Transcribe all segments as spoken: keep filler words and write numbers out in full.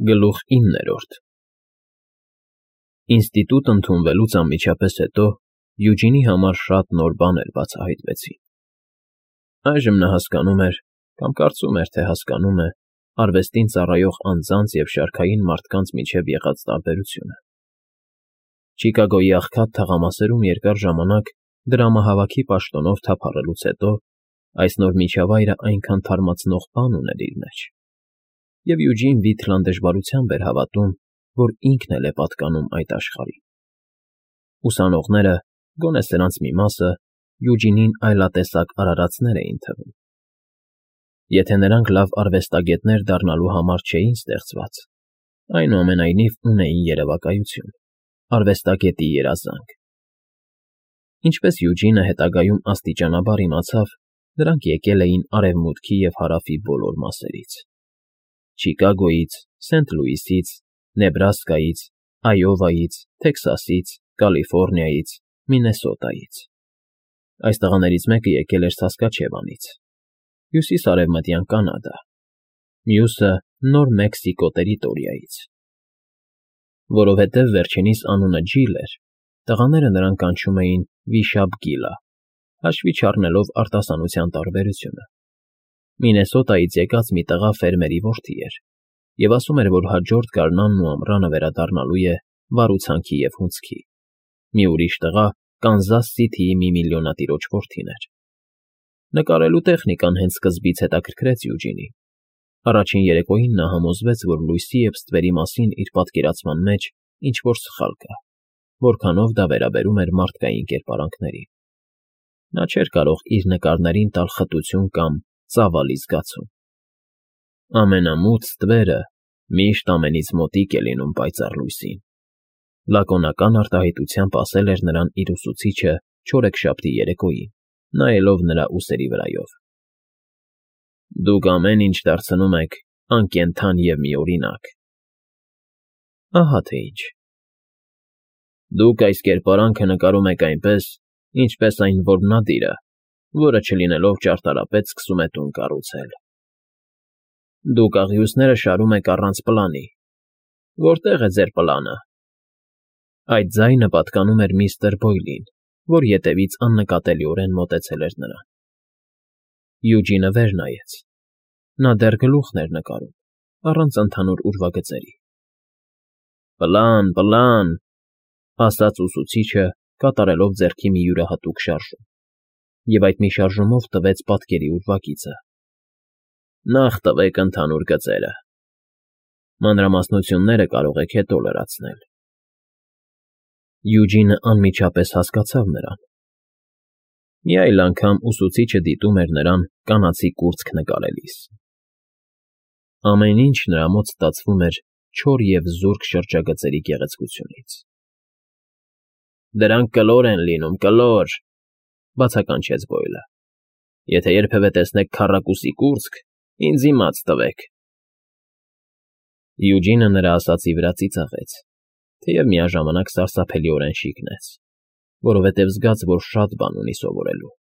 Գլուխ իններորդ Ինստիտուտ ընդունվելուց անմիջապես հետո Յուջինի համար շատ նոր բաներ բացահայտվեցին. այժմ նա հասկանում էր, կամ կարծում էր, թե հասկանում է, արվեստին ծառայող անձանց և շարքային մարդկանց միջև եղած տարբերությունը։ Չիկագոյի աղքատ թաղամասերում երկար ժամանակ դրամահավաքի պաշտոնով թափառելուց հետո այս նոր միջավայրը այնքան թարմացնող բան ուներ իր մեջ, և Յուջին Վիթլան դժվարությամբ էր հավատում, որ ինքն էլ է պատկանում այդ աշխարհին։ Ուսանողները, գոնե սրանց մի մասը, Յուջինին այլատեսակ արարածներ էին թվում։ Եթե նրանք լավ արվեստագետներ դառնալու համար չէին ստեղծված, այնուամենայնիվ ունեին երևակայություն, արվեստագետի երազանք։ Ինչպես Յուջինը հետագայում աստիճանաբար իմացավ, նրանք եկել էին Արևմուտքի և Հարավի բոլոր մասերից. Չիկագոյից, Սենթ Լուիսից, Նեբրասկայից, Այովայից, Թեքսասից, Կալիֆոռնիայից, Մինեսոտայից։ Այս տղաներից մեկը եկել էր Սասկաչևանից, հյուսիս֊արևմտյան Կանադա, մյուսը Նոր Մեքսիկո տերիտորիայից։ Որովհետև վերջինիս անունը Ջիլ էր, տղաները նրան կանչում էին Վիշապ Գիլը, հաշվի չառնելով արտասանության տարբերությունը։ Մինեսոտայից եկած մի տղա ֆերմերի որդի էր և ասում էր, որ հաջորդ գարնանն ու ամռանը վերադառնալու է վարուցանքի և հունձքի։ Մի ուրիշ տղա Կանզաս Սիթիի մի միլիոնատիրոջ որդին էր։ Նկարելու տեխնիկան հենց սկզբից հետաքրքրեց Յուջինին։ Առաջին երեկոյին նա համոզվեց, որ լույսի և ստվերի մասին իր պատկերացման մեջ ինչ֊որ սխալ կա, որքանով դա վերաբերում էր մարդկային կերպարանքներին։ Նա չէր կարող իր նկարներին տալ խտություն կամ ծավալի զգացում։ Ամենամութ ստվերը միշտ ամենից մոտիկ է լինում պայծառ լույսին, լակոնական արտահայտությամբ ասել էր նրան իր ուսուցիչը չորեքշաբթի երեկոյին, նայելով նրա ուսերի վրայով։ Դուք ամեն ինչ դարձնում եք անկենդան և միօրինակ։ Ահա թե ինչ։ Դուք այս կերպարանքը նկարում եք այնպես, ինչպես այն որմնադիրը, որը չլինելով ճարտարապետ սկսում է տուն կառուցել։ Դուք աղյուսները շարում եք առանց պլանի։ Որտե՞ղ է ձեր պլանը։ Այդ ձայնը պատկանում էր միստր Բոյլին, որ ետևից աննկատելիորեն մոտեցել էր նրան։ Յուջինը վեր նայեց։ Նա դեռ գլուխն էր նկարում, առանց ընդհանուր ուրվագծերի։ Պլան, պլան, ասաց ուսուցիչը, կատարելով ձեռքի մի յուրահատուկ շարժում, և այդ մի շարժումով տվեց պատկերի ուրվագիծը։ Նախ տվեք ընդհանուր գծերը։ Մանրամասնությունները կարող եք հետո լրացնել։ Յուջինը անմիջապես հասկացավ նրան։ Մի այլ անգամ ուսուցիչը դիտում էր նրան կանացի կուրծք նկարելիս։ Ամեն ինչ նրա մոտ ստացվում էր չոր և զուրկ շրջագծերի գեղեցկությունից։ Դրանք կլոր են լինում, կլոր, բացականչեց Բոյլը։ Եթե երբևէ տեսնեք քառակուսի կուրծք, ինձ իմաց տվեք։ Յուջինը նրա ասածի վրա ծիծաղեց, թեև միաժամանակ սարսափելիորեն շիկնեց, որովհետև զգաց, որ շատ բան ունի սովորելու։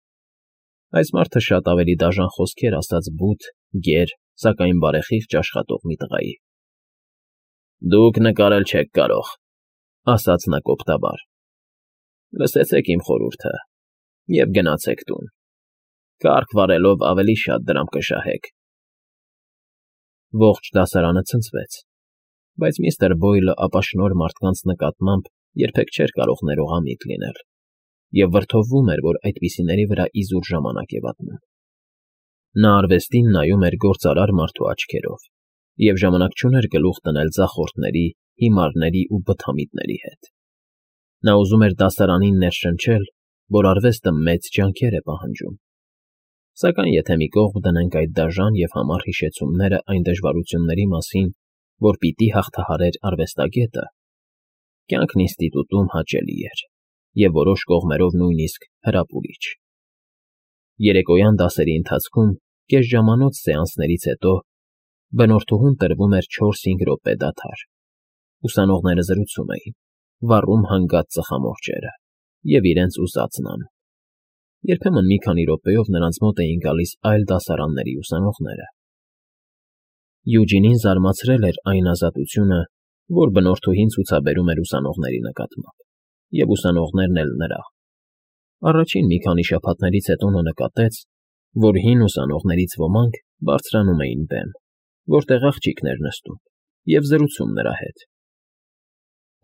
Այս մարդը շատ ավելի դաժան խոսքեր ասաց բութ, գեր, սակայն բարեխիղճ աշխատող մի տղայի։ Դուք նկարել չեք կարող, ասաց նա կոպտաբար։ Լսեցեք իմ խորհուրդը և գնացեք տուն։ Կառք վարելով ավելի շատ դրամ կշահեք։ Ողջ դասարանը ցնցվեց, բայց միստր Բոյլը ապաշնորհ մարդկանց նկատմամբ երբեք չէր կարող ներողամիտ լինել և վրդովվում էր, որ այդպիսիների վրա իզուր ժամանակ է վատնում։ Նա արվեստին նայում էր գործարար մարդու աչքերով և ժամանակ չուներ գլուխ դնել ձախորդների, հիմարների ու բթամիտների հետ։ Նա ուզում էր դասարանին ներշնչել, որ արվեստը մեծ ջանքեր է պահանջում։ Սակայն եթե մի կողմ դնենք այդ դաժան և համառ հիշեցումները այն դժվարությունների մասին, որ պիտի հաղթահարեր արվեստագետը, կյանքն ինստիտուտում հաճելի էր և որոշ կողմերով նույնիսկ հրապուրիչ։ Երեկոյան դասերի ընթացքում կեսժամանոց սեանսներից հետո բնորդուհուն տրվում էր չորս֊հինգ րոպե դադար։ Ուսանողները զրուցում էին, վառում հանգած ծխամորճերը և իրենց ուզածն անում։ Երբեմն մի քանի րոպեով նրանց մոտ էին գալիս այլ դասարանների ուսանողները։ Յուջինին զարմացրել էր այն ազատությունը, որ բնորդուհին ցուցաբերում էր ուսանողների նկատմամբ, և ուսանողներն էլ նրա. առաջին մի քանի շաբաթներից հետո նա նկատեց, որ հին ուսանողներից ոմանք բարձրանում էին բեմ, որտեղ աղջիկներ նստում, և զրուցում նրա հետ.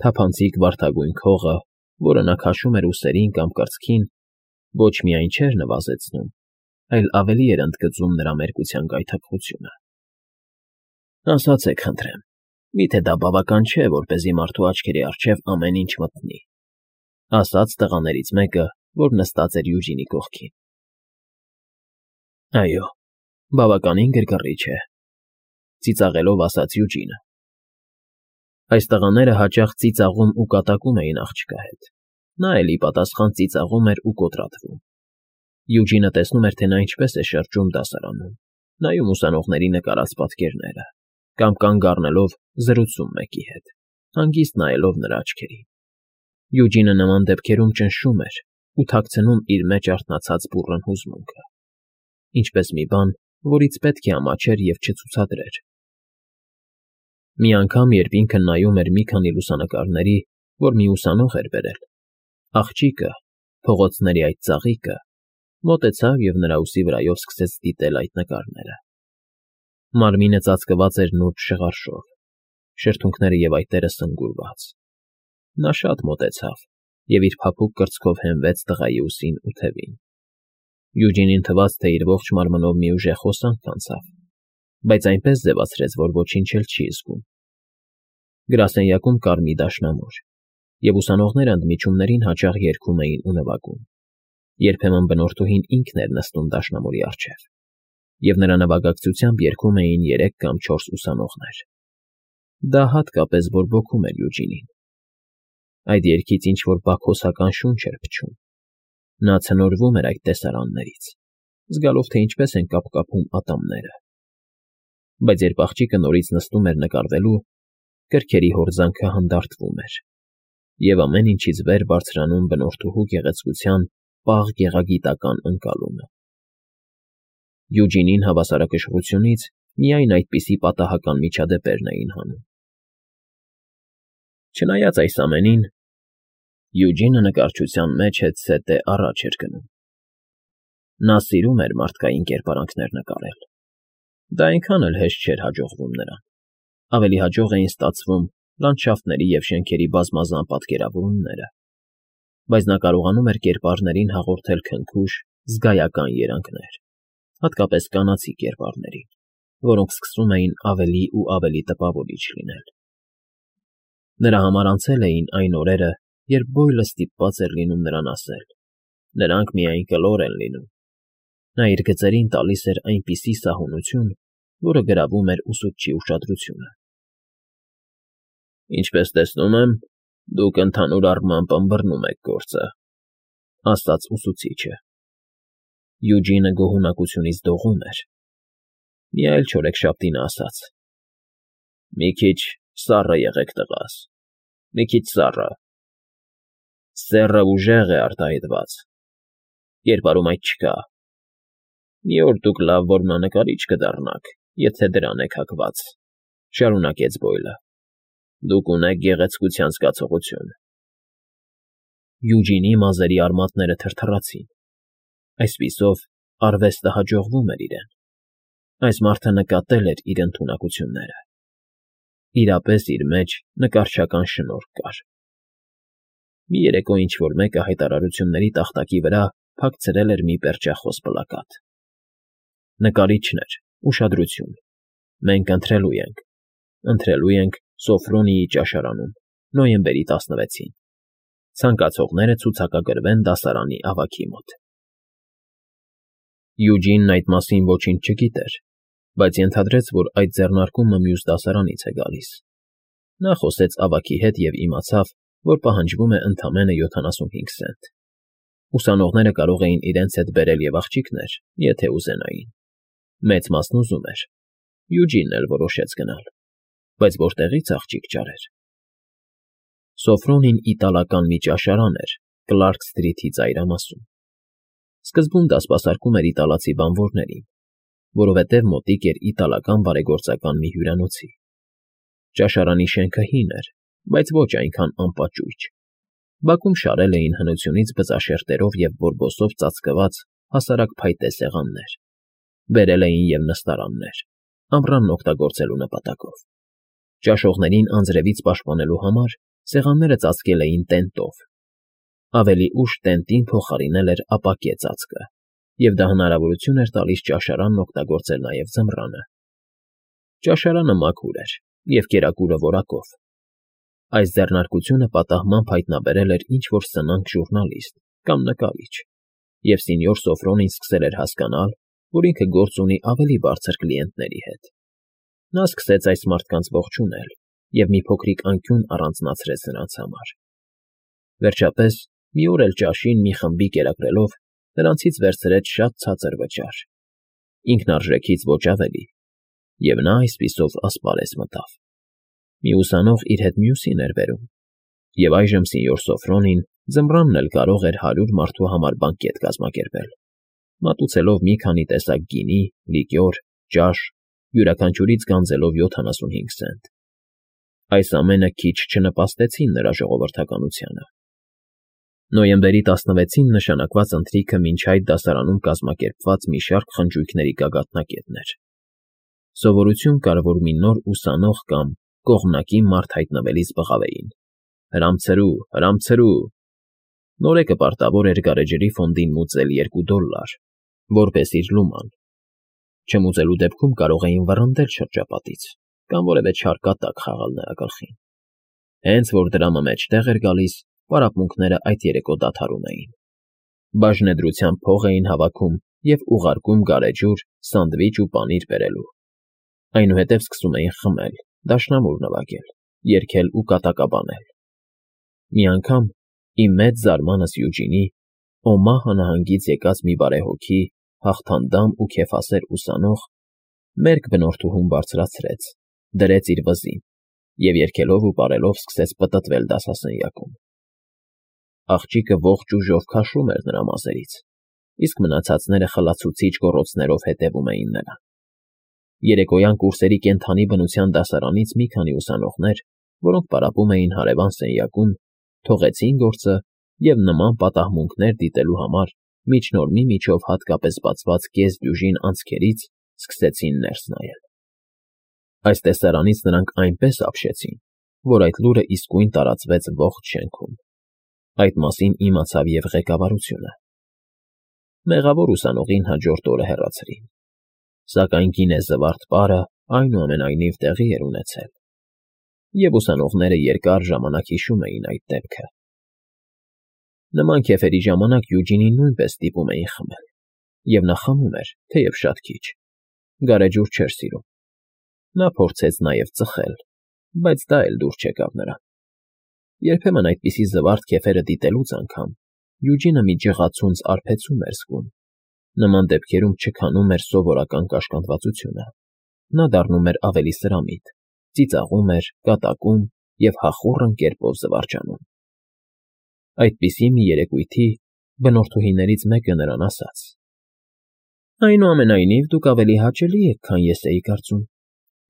թափանցիկ վարդագույն քողը, որը նա քաշում էր ուսերին կամ կրծքին, ոչ միայն չէր նվազեցնում, այլ ավելի էր ընդգծում նրա մերկության գայթակղությունը։ Ասացեք խնդրեմ, մի՞թե դա բավական չէ, որպեսզի մարդու աչքերի առջև ամեն ինչ մտնի, ասաց տղաներից մեկը, որ նստած էր Յուջինի կողքին։ Այո, բավականին գրգռիչ է, ծիծաղելով ասաց Յուջինը։ Այս տղաները հաճախ ծիծաղում ու կատակում էին աղջկա հետ, նա էլ ի պատասխան ծիծաղում էր ու կոտրատվում։ Յուջինը տեսնում էր, թե նա ինչպես է շրջում դասարանում, նայում ուսանողների նկարած պատկերները, կամ կանգ առնելով զրուցում մեկի հետ, հանգիստ նայելով նրա աչքերին։ Յուջինը նման դեպքերում ճնշում էր ու թաքցնում իր մեջ արթնացած բուռն հուզմունքը, ինչպես մի բան, որից պետք է ամաչեր և չցուցադրեր։ Մի անգամ, երբ ինքը նայում էր մի քանի լուսանկարների, որ մի ուսանող էր բերել, աղջիկը, փողոցների այդ ծաղիկը, մոտեցավ և նրա ուսի վրայով սկսեց դիտել այդ նկարները։ Մարմինը ծածկված էր նուրբ շղարշով, շրթունքները և այտերը սնգուրված։ Նա շատ մոտեցավ և իր փափուկ կրծքով հենվեց տղայի ուսին ու թևին։ Յուջինին թվաց, թե իր ողջ մարմնով մի ուժեղ հոսանք անցավ, բայց այնպես ձևացրեց, որ ոչինչ էլ չի զգում։ Գրասենյակում կար մի դաշնամուր, և ուսանողները ընդմիջումներին հաճախ երգում էին ու նվագում։ Երբեմն բնորդուհին ինքն էր նստում դաշնամուրի առջև, և նրա նվագակցությամբ երգում էին երեք կամ չորս ուսանողներ։ Դա հատկապես բորբոքում էր Յուջինին։ Այդ երգից ինչ-որ բաքոսական շունչ էր փչում։ Նա ցնորվում էր այդ տեսարաններից, զգալով, թե ինչպես են կապկապում ատամները։ Բայց երբ աղջիկը նորից նստում էր նկարվելու, կրքերի հորձանքը հանդարտվում էր, և ամեն ինչից վեր բարձրանում բնորդուհու գեղեցկության պաղ գեղագիտական ընկալումը։ Յուջինին հավասարակշռությունից միայն այդպիսի պատահական միջադեպերն էին հանում։ Չնայած այս ամենին, Յուջինը նկարչության մեջ հետզհետե առաջ էր գնում։ Նա սիրում էր մարդկային կերպարանքներ նկարել։ Դա այնքան էլ հեշտ չէր հաջողվում նրան։ Ավելի հաջող էին ստացվում լանդշաֆտների և շենքերի բազմազան պատկերավորումները, բայց նա կարողանում էր կերպարներին հաղորդել քնքուշ, զգայական երանգներ, հատկապես կանացի կերպարներին, որոնք սկսում էին ավելի ու ավելի տպավորիչ լինել։ Նրա համար անցել էին այն օրերը, երբ Բոյլը ստիպված էր լինում նրան ասել. «Նրանք միայն կլոր են լինում»։ Նա իր գծերին տալիս էր այնպիսի սահունություն, որը գրավում էր ուսուցչի ուշադրությունը։ «Ինչպես տեսնում եմ, դուք ընդհանուր առմամբ ըմբռնում եք գործը», ասաց ուսուցիչը։ Յուջինը գոհունակությունից դողում էր։ Մի այլ չորեքշաբթի նա ասաց. «Մի քիչ սառը եղեք, տղաս, մի քիչ սառը։ Սեռը ուժեղ է արտահայտված, կերպարում այդ չկա։ Մի օր դուք լավ որմնանկարիչ կդառնաք, եթե դրան եք հակված», շարունակեց Բոյլը։ «Դուք ունեք գեղեցկության զգացողություն»։ Յուջինի մազերի արմատները թրթռացին։ Այսպիսով, արվեստը հաջողվում էր իրեն։ Այս մարդը նկատել էր իր ընդունակությունները։ Իրապես իր մեջ նկարչական շնորհք կար։ Մի երեկո ինչ֊որ մեկը հայտարարությունների տախտակի վրա փակցրել էր մի պերճախոս պլակատ. Նկարիչներ, ուշադրություն, մենք ընթրելու ենք, ընթրելու ենք Սոֆրոնիի ճաշարանում, նոյեմբերի տասնվեցին։ Ցանկացողները ցուցակագրվեն դասարանի ավագի մոտ։ Յուջինն այդ մասին ոչինչ չգիտեր, բայց ենթադրեց, որ այդ ձեռնարկումը մյուս դասարանից է գալիս։ Նա խոսեց ավագի հետ և իմացավ, որ պահանջվում է ընդամենը յոթանասունհինգ սենտ։ Ուսանողները կարող էին իրենց հետ բերել և աղջիկներ, եթե ուզենային։ Մեծ մասն ուզում էր։ Յուջինն էլ որոշեց գնալ, բայց որտեղի՞ց աղջիկ ճարեր։ Սոֆրոնին իտալական մի ճաշարան էր Կլարք Սթրիթի ծայրամասում։ Սկզբում դա սպասարկում էր իտալացի բանվորներին, որովհետև մոտիկ էր իտալական բարեգործական մի հյուրանոցի։ Ճաշարանի շենքը հին էր, բայց ոչ այնքան անպաճույճ։ Բակում շարել էին հնությունից բծաշերտերով և բորբոսով ծածկված հասարակ փայտե սեղաններ, բերել էին և նստարաններ, ամռանն օգտագործելու նպատակով։ Ճաշողներին անձրևից պաշտպանելու համար սեղանները ծածկել էին տենտով։ Ավելի ուշ տենտին փոխարինել էր ապակե ծածկը, և դա հնարավորություն էր տալիս ճաշարանն օգտագործել նաև ձմռանը։ Ճաշարանը մաքուր էր և կերակուրը որակով։ Այս ձեռնարկությունը պատահմամբ հայտնաբերել էր ինչ֊որ սնանկ ժուռնալիստ կամ նկարիչ, և սենյոր Սոֆրոնին սկսել էր հասկանալ, որ ինքը գործ ունի ավելի բարձր կլիենտների հետ։ Նա սկսեց այս մարդկանց ողջունել և մի փոքրիկ անկյուն առանձնացրեց նրանց համար։ Վերջապես, մի օր էլ ճաշին մի խմբի կերակրելով, նրանցից վերցրեց շատ ցածր վճար, ինքնարժեքից ոչ ավելի, և նա այսպիսով ասպարեզ մտավ։ Մի ուսանող իր հետ մյուսին էր բերում, և այժմ սենյոր Սոֆրոնին ձմռանն էլ կարող էր հարյուր մարդու համար բանկետ կազմակերպել, մատուցելով մի քանի տեսակ գինի, լիկյոր, ճաշ, յուրաքանչյուրից գանձելով յոթանասունհինգ սենտ։ Այս ամենը քիչ չնպաստեցին նրա ժողովրդականությանը։ Նոյեմբերի տասնվեցին նշանակված ընթրիքը մինչ այդ դասարանում կազմակերպված մի շարք խնջույքների գագաթնակետն էր։ Սովորություն կար, որ մի նոր ուսանող կամ կողմնակի մարդ հայտնվելիս բղավեին. «Հրամցրու, հրամցրու»։ Նորեկը պարտավոր էր գարեջրի ֆոնդին մուծել երկու դոլլար, որպես իր լուման։ Չմուծելու դեպքում կարող էին վռնդել շրջապատից կամ որևէ չար կատակ խաղալ նրա գլխին։ Հենց որ դրամը մեջտեղ էր գալիս, պարապմունքները այդ երեկո դադարում էին։ Բաժնեդրությամբ փող էին հավաքում և ուղարկում գարեջուր, սանդվիչ ու պանիր բերելու։ Այնուհետև սկսում էին խմել, դաշնամուր նվագել, երգել ու կատակաբանել։ Մի անգամ, իմ մեծ զարմանս Յուջինի, Օմահա նահանգից եկած մի բարեհոգի, հաղթանդամ ու քեֆասեր ուսանող, մերկ բնորդուհուն բարձրացրեց, դրեց իր վզին և երգելով ու պարելով սկսեց պտտվել դասասենյակում։ Աղջիկը ողջ ուժով քաշում էր նրա մազերից, իսկ մնացածները խլացուցիչ գոռոցներով հետևում էին նրան։ Երեկոյան կուրսերի կենդանի բնության դասարանից մի քանի ուսանողներ, որոնք պարապում էին հարևան սենյակում, թողեցին գործը և նման պատահմունքներ դիտելու համար միջնորմի միջով հատկապես բացված կես֊դյուժին անցքերից սկսեցին ներս նայել։ Այս տեսարանից նրանք այնպես ապշեցին, որ այդ լուրը իսկույն տարածվեց ողջ շենքում։ Այդ մասին իմացավ և ղեկավարությունը։ Մեղավոր ուսանողին հաջորդ օրը հեռացրին, սակայն գինեզվարդ պարը այնուամենայնիվ տեղի էր ունեցել, և ուսանողները երկար ժամանակ հիշում էին այդ դեպքը։ Նման քեֆերի ժամանակ Յուջինին նույնպես ստիպում էին խմել, և նա խմում էր, թեև շատ քիչ, գարեջուր չէր սիրում։ Նա փորձեց նաև ծխել, բայց դա էլ դուր չեկավ նրան։ Երբեմն այդպիսի զվարթ քեֆերը դիտելուց անգամ Յուջինը մի ջղացունց արբեցում էր զգում։ Նման դեպքերում չքանում էր սովորական կաշկանդվածությունը։ Նա դառնում էր ավելի սրամիտ, ծիծաղում էր, կատակում և հախուռն կերպով զվարճանում։ Այդպիսի մի երեկույթի բնորդուհիներից մեկը նրան ասաց. «Այնուամենայնիվ, դուք ավելի հաճելի եք, քան ես էի կարծում։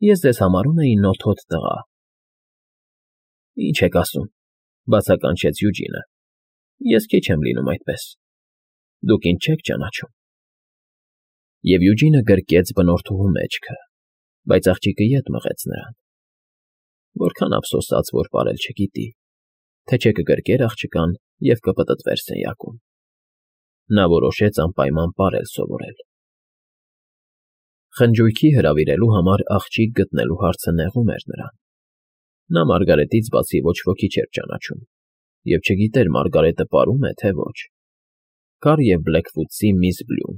Ես ձեզ համարում էի նոթոտ տղա»։ «Ինչ եք ասում», բացականչեց Յուջինը։ «Ես քիչ եմ լինում այդպես։ Դուք ինձ չեք ճանաչում»։ Եվ Յուջինը գրկեց բնորդուհու մեջքը, բայց աղջիկը ետ մղեց նրան։ Որքան ափսոսաց, որ պարել չգիտի, թե չէ կգրկեր աղջկան և կպտտվեր սենյակում։ Նա որոշեց անպայման պարել սովորել։ Խնջույքի հրավիրելու համար աղջիկ գտնելու հարցը նեղում էր նրան։ Նա Մարգարետից բացի ոչ ոքի չէր ճանաչում և չգիտեր Մարգարետը պարում է, թե ոչ։ Կար և Բլեքվուդսի միս Բլյուն,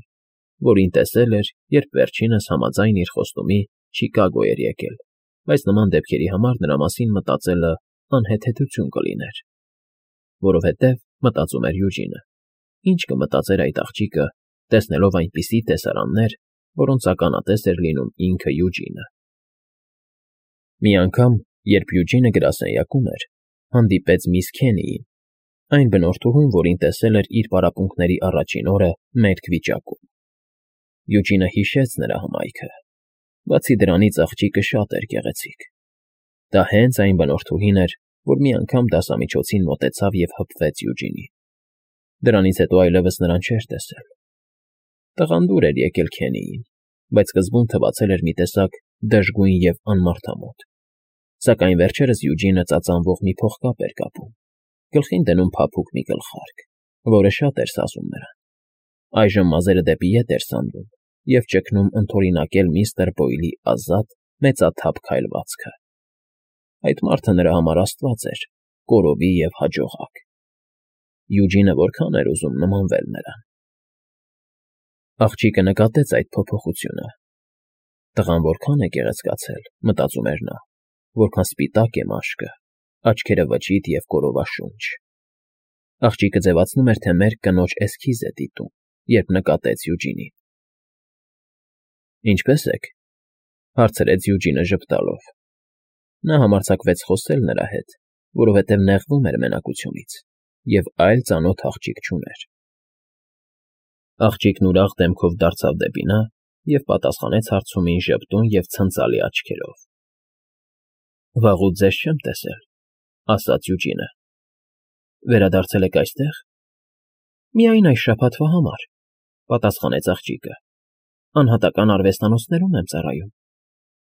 որին տեսել էր, երբ վերջինս համաձայն իր խոստումի Չիկագո էր եկել, բայց նման դեպքերի համար նրա մասին մտածելը անհեթեթություն կլիներ։ Որովհետև, մտածում էր Յուջինը, ինչ կմտածեր այդ աղջիկը, տեսնելով այնպիսի տեսարաններ, որոնց ականատես էր լինում ինքը Յուջինը։ Մի անգամ, երբ Յուջինը գրասենյակում էր, հանդիպեց միս Քենիին, այն բնորդուհուն, որին տեսել էր իր պարապմունքների առաջին օրը մերկ վիճակում։ Յուջինը հիշեց նրա հմայքը, բացի դրանից աղջիկը շատ էր գեղեցիկ. դա հենց այն բնորդուհին էր, որ մի անգամ դասամիջոցին մոտեցավ և հպվեց Յուջինին. դրանից հետո այլևս նրան չէր տեսել. տղան դուր էր եկել Քենիին, բայց սկզբում թվացել էր մի տեսակ դժգույն և անմարդամոտ, սակայն վերջերս Յուջինը ծածանվող մի փողկապ էր կապում, գլխին դնում փափուկ մի գլխարկ, որը շատ էր սազում նրան. այժմ մազերը դեպի ետ էր սանվում և ճգնում ընդօրինակել միստր Բոյլի ազատ, մեծաթափ քայլվածքը. այդ մարդը նրա համար աստված էր, կորովի և հաջողակ. Յուջինը որքան էր ուզում նմանվել նրան. Աղջիկը նկատեց այդ փոփոխությունը. տղան որքան է գեղեցկացել, մտածում էր նա, որքան սպիտակ է մաշկը, աչքերը վճիտ և կորովաշունչ. աղջիկը ձևացնում էր, թե մերկ կնոջ էսքիզ է դիտում, երբ նկատեց Յուջինին. Ինչպե՞ս եք,֊ հարցրեց Յուջինը ժպտալով. նա համարձակվեց խոսել նրա հետ, որովհետև նեղվում էր մենակությունից և այլ ծանոթ աղջիկ չուներ. Աղջիկն ուրախ դեմքով դարձավ դեպի նա և պատասխանեց հարցումին ժպտուն և ցնծալի աչքերով. վաղուց ձեզ չեմ տեսել,֊ ասաց Յուջինը. վերադարձել եք այստեղ։ Միայն այս շաբաթվա համար,֊ պատասխանեց աղջիկը. անհատական արվեստանոցներում եմ ծառայում.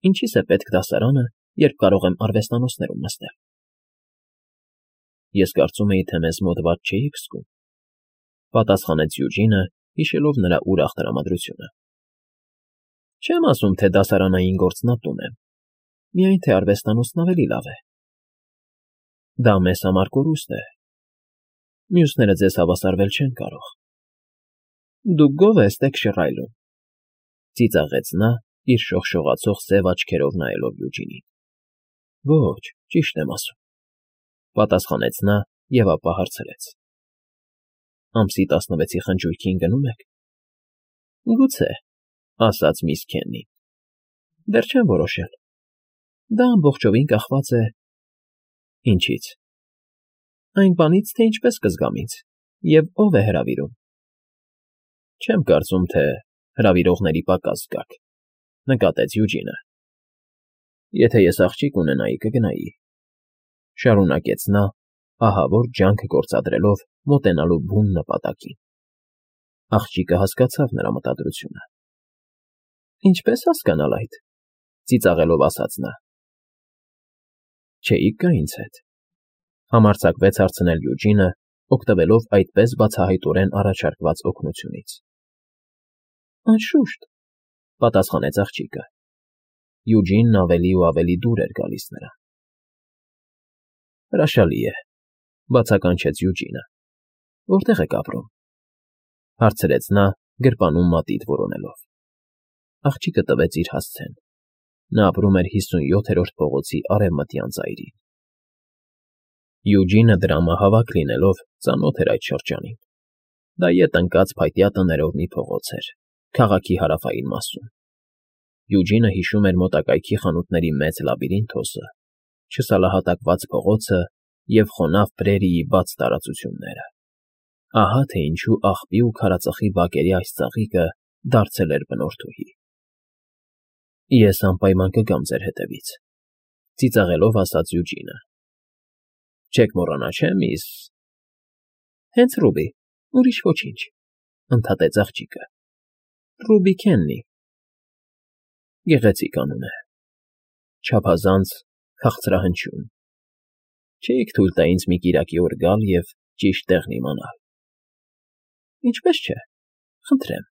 ինչի՞ս է պետք դասարանը, երբ կարող եմ արվեստանոցներում նստել։ Ես կարծում էի, թե մեզ մոտ վատ չէիք զգում,֊ պատասխանեց Յուջինը, հիշելով նրա ուրախ տրամադրությունը։ Չեմ ասում, թե դասարանային գործն ատում եմ, միայն թե արվեստանոցն ավելի լավ է։ Դա մեզ համար կորուստ է։ Մյուսները ձեզ հավասարվել չեն կարող։ Դուք գոհ եք շռայլում,֊ ծիծաղեց նա, իր շողշողացող սև աչքերով նայելով Յուջինին։ Ոչ, ճիշտ եմ ասում,֊ պատասխանեց նա և ապա հարցրեց. ամսի տասնվեցի խնջույքին գնո՞ւմ եք։ Գուցե,֊ ասաց միս Քեննին։ Դեռ չեմ որոշել։ Դա ամբողջովին կախված է… Ինչի՞ց։ Այն բանից, թե ինչպես կզգամ ինձ և ով է հրավիրում։ Չեմ կարծում, թե հրավիրողների պակաս զգաք,֊ նկատեց Յուջինը։ Եթե ես աղջիկ ունենայի, կգնայի,֊ շարունակեց նա, ահավոր ջանք գործադրելով մոտենալու բուն նպատակին։ Աղջիկը հասկացավ նրա մտադրությունը։ Ինչպե՞ս հասկանալ այդ,֊ ծիծաղելով ասաց նա։ Չէիք գա ինձ հետ,֊ համարձակվեց հարցնել Յուջինը, օգտվելով այդպես բացահայտորեն առաջարկված օգնությունից։ Անշուշտ,֊ պատասխանեց աղջիկը։ Յուջինն ավելի ու ավելի դուր էր գալիս նրան։ Հրաշալի է,֊ բացականչեց Յուջինը։ Որտե՞ղ եք ապրում,֊ հարցրեց նա, գրպանում մատիտ որոնելով։ Աղջիկը տվեց իր հասցեն։ Նա ապրում էր հիսունյոթերորդ փողոցի արևմտյան ծայրին։ Յուջինը դրամահավաք լինելով ծանոթ էր այդ շրջանին։ Դա ետ ընկած փայտյա տներով մի փողոց էր, քաղաքի հարավային մասում։ Յուջինը հիշում էր մոտակայքի խանութների մեծ լաբիրինթոսը, չսալահատակված փողոցը և խոնավ պրերիի բաց տարածությունները։ Ահա թե ինչու աղբի ու քարածխի բակերի այս ծաղիկը դարձել էր բնորդուհի։ Ես անպայման կգամ ձեր հետևից,֊ ծիծաղելով ասաց Յուջինը։ Չեք մոռանա, չէ՞, միս… Հենց Ռուբի, ուրիշ ոչինչ,֊ ընդհատեց աղջիկը։ Ռուբի Քեննի։ Գեղեցիկ անուն է։ Չափազանց քաղցրահնչյուն։ Չէիք թույլ տա ինձ մի կիրակի օր գալ և ճիշտ տեղն իմանալ։ Ինչպես չէ, խնդրեմ,֊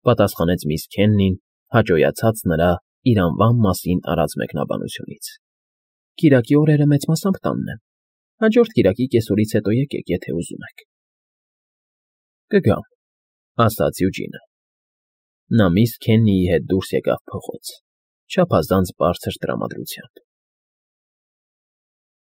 պատասխանեց միս Քեննին, հաճոյացած նրա իր անվան մասին արած մեկնաբանությունից։ Կիրակի օրերը մեծ մասամբ տանն եմ։ Հաջորդ կիրակի կեսօրից հետո եկեք, եթե ուզում եք։ Կգամ,֊ ասաց Յուջինը։ Նա միս Քեննիի հետ դուրս եկավ փողոց, չափազանց բարձր տրամադրությամբ։